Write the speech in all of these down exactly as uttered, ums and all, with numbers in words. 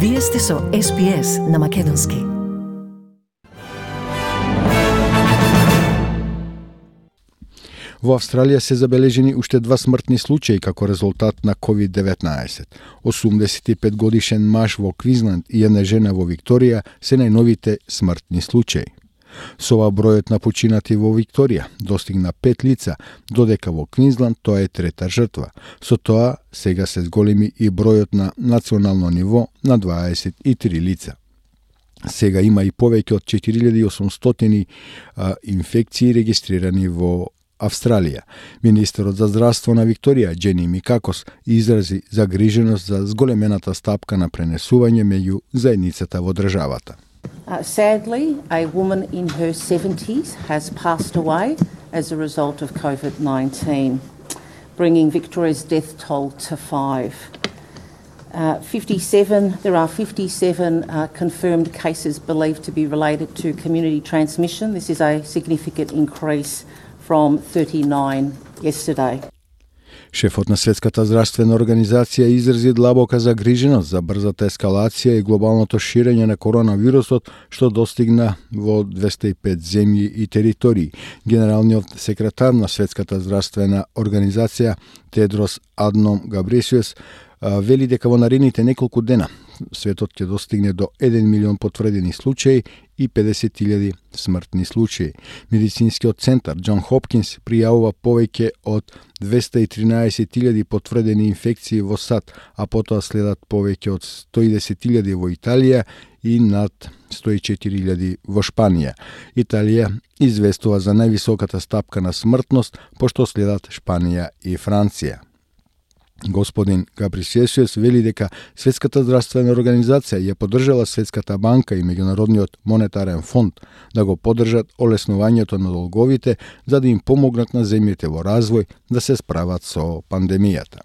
Вие сте со Ес Би Ес на Македонски. Во Австралија се забележени уште два смртни случаи како резултат на ковид деветнаесет. осумдесет и пет годишен маж во Квинсленд и една жена во Викторија се најновите смртни случаи. Со ова бројот на починати во Викторија достигна пет лица, додека во Квинсленд тоа е трета жртва. Со тоа сега се зголеми и бројот на национално ниво на дваесет и три лица. Сега има и повеќе од четири илјади и осумстотини а, инфекции регистрирани во Австралија. Министерот за здравство на Викторија, Джени Микакос, изрази загриженост за зголемената стапка на пренесување меѓу заедницата во државата. Uh, sadly, a woman in her seventies has passed away as a result of COVID nineteen, bringing Victoria's death toll to five. Uh, fifty-seven, there are fifty-seven uh, confirmed cases believed to be related to community transmission. This is a significant increase from thirty-nine yesterday. Шефот на Светската здравствена организација изрази длабока загриженост за брзата ескалација и глобалното ширење на коронавирусот што достигна во двесте и пет земји и територии. Генералниот секретар на Светската здравствена организација Тедрос Адном Габресиус вели дека во наредните неколку дена светот ќе достигне до еден милион потврдени случаи и педесет илјади смртни случаи. Медицинскиот центар Џон Хопкинс пријавува повеќе од двесте и тринаесет илјади потврдени инфекции во САД, а потоа следат повеќе од сто и десет илјади во Италија и над сто и четири илјади во Шпанија. Италија известува за највисоката стапка на смртност, пошто следат Шпанија и Франција. Господин Габрисиесиус вели дека Светската здравствена организација ја поддржала Светската банка и Меѓународниот монетарен фонд да го поддржат олеснувањето на долговите за да им помогнат на земјите во развој да се справат со пандемијата.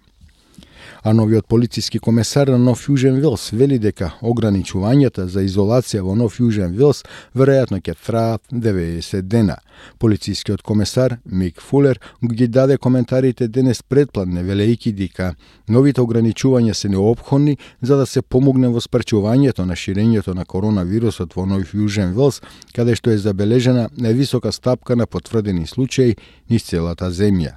А новиот полициски комесар на Нов Јужен Велс вели дека ограничувањата за изолација во Нов Јужен Велс веројатно ќе траат деветдесет дена. Полицискиот комесар Мик Фулер ги даде коментарите денес предпладне, велејќи дека новите ограничувања се неопходни за да се помогне во спречувањето на ширењето на коронавирусот во Нов Јужен Велс, каде што е забележена највисока стапка на потврдени случаи низ целата земја.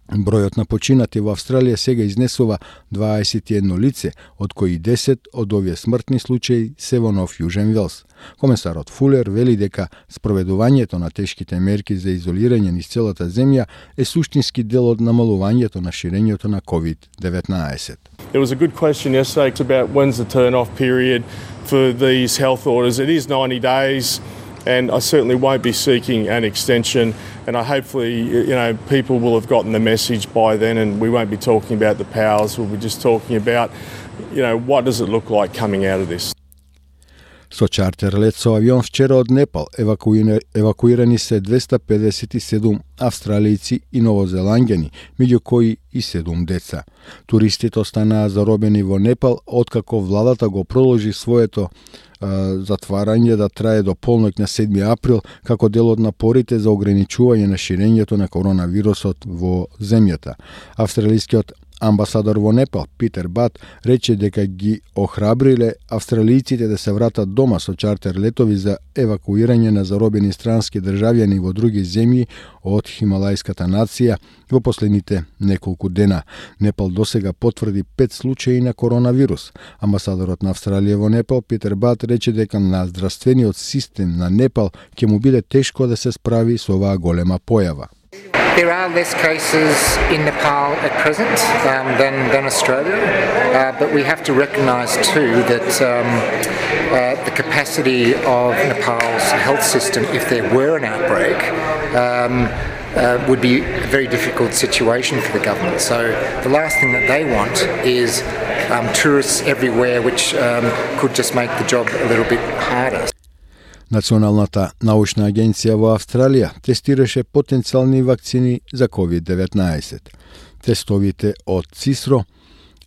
Бројот на починати во Австралија сега изнесува дваесет и едно лице, од кои десет од овие смртни случаи се во Нов Јужен Велс. Комесарот Фулер вели дека спроведувањето на тешките мерки за изолирање низ целата земја е суштински дел од намалувањето на ширењето на ковид деветнаесет. It was a good question yesterday about when's the turn-off period for these health orders. It is ninety days. And I certainly won't be seeking an extension, and I hopefully, you know, people will have gotten the message by then, and we won't be talking about the powers. We'll be just talking about, you know, what does it look like coming out of this. Со чартер лет со авион вчера од Непал евакуирани, евакуирани се двесте педесет и седум австралијци и новозеланѓани, меѓу кои и седум деца. Туристите останаа заробени во Непал откако владата го продолжи своето а, затварање да трае до полноќ на седми април како дел од напорите за ограничување на ширењето на коронавирусот во земјата. Австралискиот амбасадор во Непал, Питер Бат, рече дека ги охрабриле австралијците да се вратат дома со чартер летови за евакуирање на заробени странски државјани во други земји од хималајската нација во последните неколку дена. Непал досега потврди пет случаи на коронавирус. Амбасадорот на Австралија во Непал, Питер Бат, рече дека на здравствениот систем на Непал ќе му биде тешко да се справи со оваа голема појава. There are less cases in Nepal at present um, than, than Australia, uh, but we have to recognise too that um, uh, the capacity of Nepal's health system, if there were an outbreak, um, uh, would be a very difficult situation for the government. So the last thing that they want is um, tourists everywhere, which um, could just make the job a little bit harder. Националната научна агенција во Австралија тестираше потенцијални вакцини за ковид деветнаесет. Тестовите од Цисро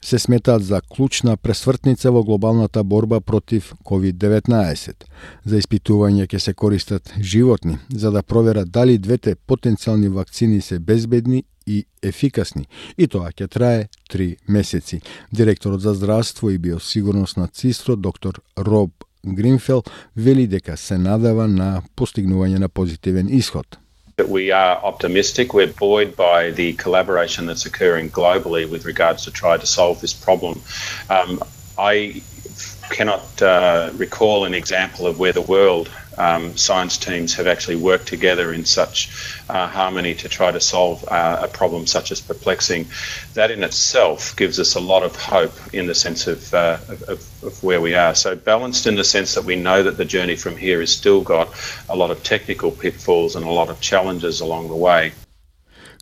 се сметаат за клучна пресвртница во глобалната борба против ковид деветнаесет. За испитување ќе се користат животни, за да проверат дали двете потенцијални вакцини се безбедни и ефикасни, и тоа ќе трае три месеци. Директорот за здравство и биосигурност на ЦИСТРО, доктор Роб Гринфел, вели дека се надава на постигнување на позитивен исход. We are optimistic. We're buoyed by the collaboration that's occurring globally with regards to try to solve this problem. Um, I cannot uh, recall an example of where the world um, science teams have actually worked together in such uh, harmony to try to solve uh, a problem such as perplexing. That in itself gives us a lot of hope in the sense of, uh, of, of where we are. So balanced in the sense that we know that the journey from here has still got a lot of technical pitfalls and a lot of challenges along the way.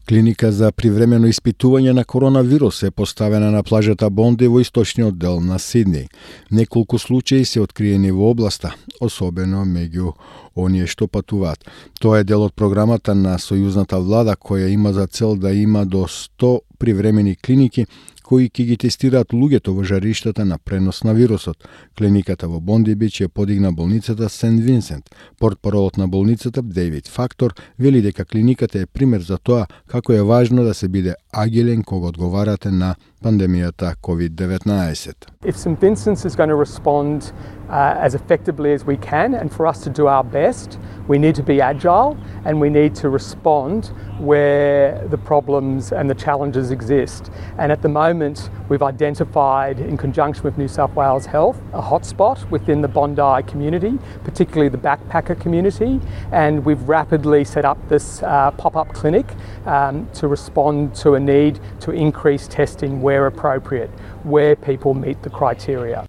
Клиника за привремено испитување на коронавирус е поставена на плажата Бонди во источниот дел на Сиднеј. Неколку случаи се откриени во областа, особено меѓу оние што патуваат. Тоа е дел од програмата на сојузната влада која има за цел да има до сто привремени клиники кои ќе ги тестираат луѓето во жариштата на пренос на вирусот. Клиниката во Бонди Бич ја подигна болницата Сент Винсент. Портпаролот на болницата Дейвид Фактор вели дека клиниката е пример за тоа како е важно да се биде агилен кога одговарате на пандемијата ковид деветнаесет. If St Vincent's is going to respond uh, as effectively as we can, and for us to do our best, we need to be agile and we need to respond where the problems and the challenges exist. And at the moment, we've identified, in conjunction with New South Wales Health, a hotspot within the Bondi community, particularly the backpacker community, and we've rapidly set up this uh, pop-up clinic um, to respond to a need to increase testing where appropriate, where people meet the criteria.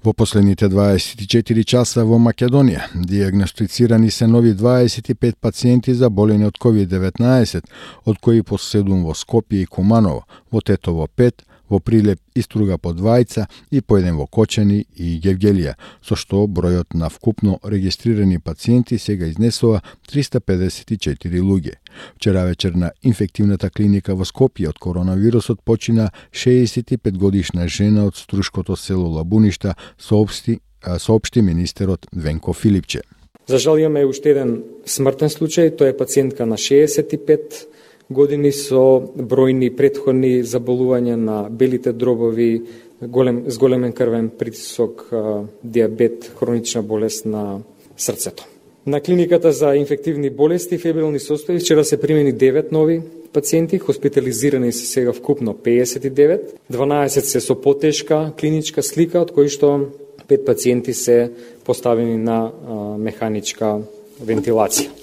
Во последните дваесет и четири часа во Македонија диагностицирани се нови дваесет и пет пациенти заболени од ковид деветнаесет, од кои по седум во Скопје и Куманово, во Тетово пет, во Прилеп и Струга по двајца и по еден во Кочани и Гевгелија, со што бројот на вкупно регистрирани пациенти сега изнесува триста педесет и четири луѓе. Вчера вечер на инфективната клиника во Скопје од коронавирусот почина шеесет и пет годишна жена од струшкото село Лабуништа, соопшти, соопшти министерот Венко Филипче. За жал имаме уште еден смртен случај, тоа е пациентка на шеесет и пет години со бројни претходни заболувања на белите дробови, голем, с големен крвен притисок, диабет, хронична болест на срцето. На клиниката за инфективни болести и фебрилни состојби вчера се примени девет нови пациенти, хоспитализирани се сега вкупно педесет и девет, дванаесет се со потешка клиничка слика, од кои што пет пациенти се поставени на а, механичка вентилација.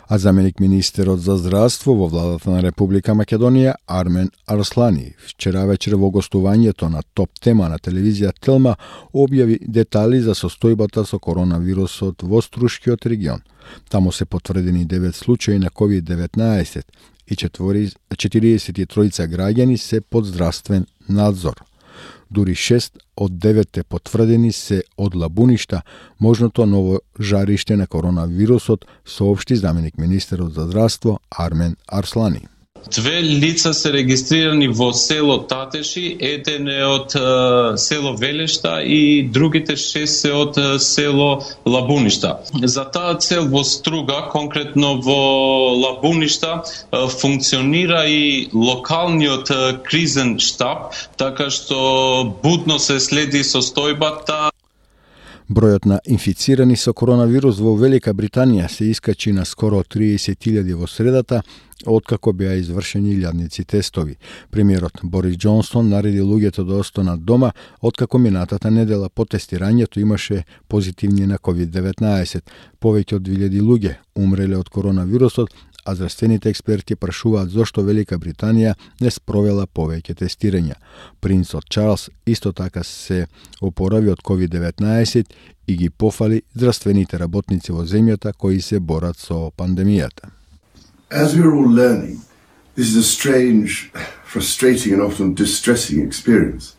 А заменик министерот за здравство во владата на Република Македонија Армен Арслани вчера вечер во гостувањето на Топ тема на телевизија Телма објави детали за состојбата со коронавирусот во Струшкиот регион. Таму се потврдени девет случаи на ковид деветнаесет и четириесет и тројца граѓани се под здравствен надзор. Дури шест од деветте потврдени се од Лабуништа, можното ново жариште на коронавирусот, соопшти заменик министерот за здравство Армен Арслани. Две лица се регистрирани во село Татеши, еден е од е, село Велешта и другите шест се од е, село Лабуништа. За таа цел во Струга, конкретно во Лабуништа, е, функционира и локалниот е, кризен штаб, така што будно се следи состојбата. Бројот на инфицирани со коронавирус во Велика Британија се искачи на скоро триесет илјади во средата, откако беа извршени илјадници тестови. Премиерот Борис Џонсон нареди луѓето да останат дома, откако минатата недела по тестирањето имаше позитивни на ковид деветнаесет. Повеќе од две илјади луѓе умреле од коронавирусот, а здравствените експерти прашуваат зошто Велика Британија не спровела повеќе тестирања. Принцот Чарлс исто така се опорави од ковид деветнаесет и ги пофали здравствените работници во земјата кои се борат со пандемијата. As we're all learning, this is a strange, frustrating and often distressing experience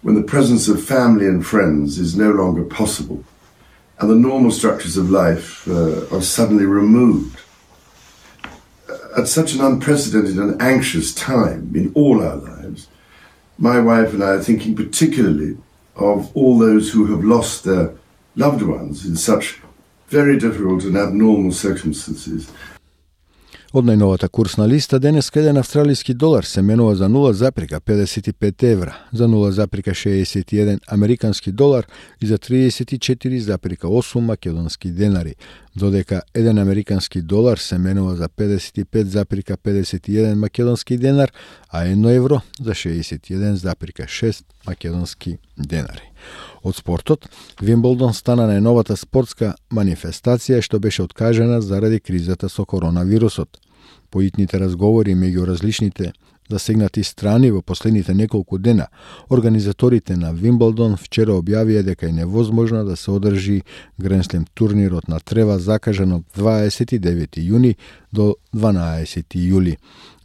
when the presence of family and friends is no longer possible and the normal structures of life uh, are suddenly removed. At such an unprecedented and anxious time in all our lives, my wife and I are thinking particularly of all those who have lost their loved ones in such very difficult and abnormal circumstances. Од најновата курсна листа, денеска еден австралиски долар се менува за нула запирка педесет и пет евра, за нула запирка шеесет и еден американски долар и за триесет и четири запирка осум македонски денари, додека еден американски долар се менува за педесет и пет запирка педесет и еден македонски денар, а едно евро за шеесет и еден запирка шест македонски денари. Од спортот, Вимблдон стана најновата спортска манифестација што беше откажана заради кризата со коронавирусот. Поитните разговори меѓу различните засегнати страни во последните неколку дена, организаторите на Вимблдон вчера објавија дека е невозможно да се одржи Гренслем турнирот на трева закажан од дваесет и девети јуни до дванаесети јули.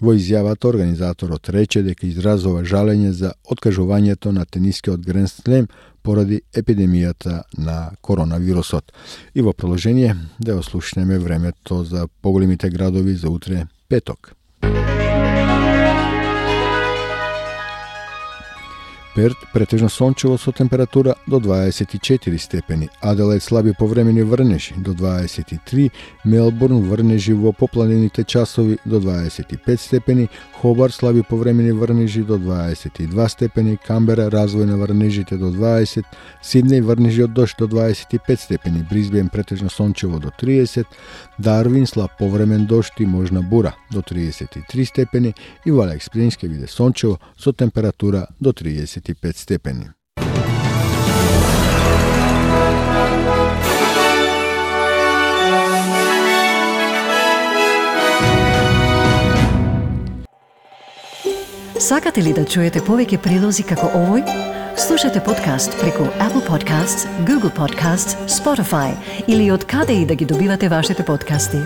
Во изјавата организаторот рече дека изразува жалење за откажувањето на тенискиот Гренслем поради епидемијата на коронавирусот. И во продолжение да ослушнеме времето за поголемите градови за утре петок. Перт претежно сончево со температура до дваесет и четири степени, Аделаид слаби повремени врнежи до дваесет и три, Мелбурн врнежи во попланените часови до дваесет и пет степени, Хобар слаби повремени врнежи до дваесет и два степени, Камбера развој на врнежите до дваесет, Сиднеј врнежи од дожд до дваесет и пет степени, Брисбен претежно сончево до триесет, Дарвин слаб повремен дожд и можна бура до триесет и три степени и во Алекс Плейнс ќе биде сончево со температура до триесет и пет степени. Сакате ли да чуете повеќе прилози како овој? Слушате подкаст преку Apple Podcasts, Google Podcasts, Spotify или од каде и да ги добивате вашите подкасти.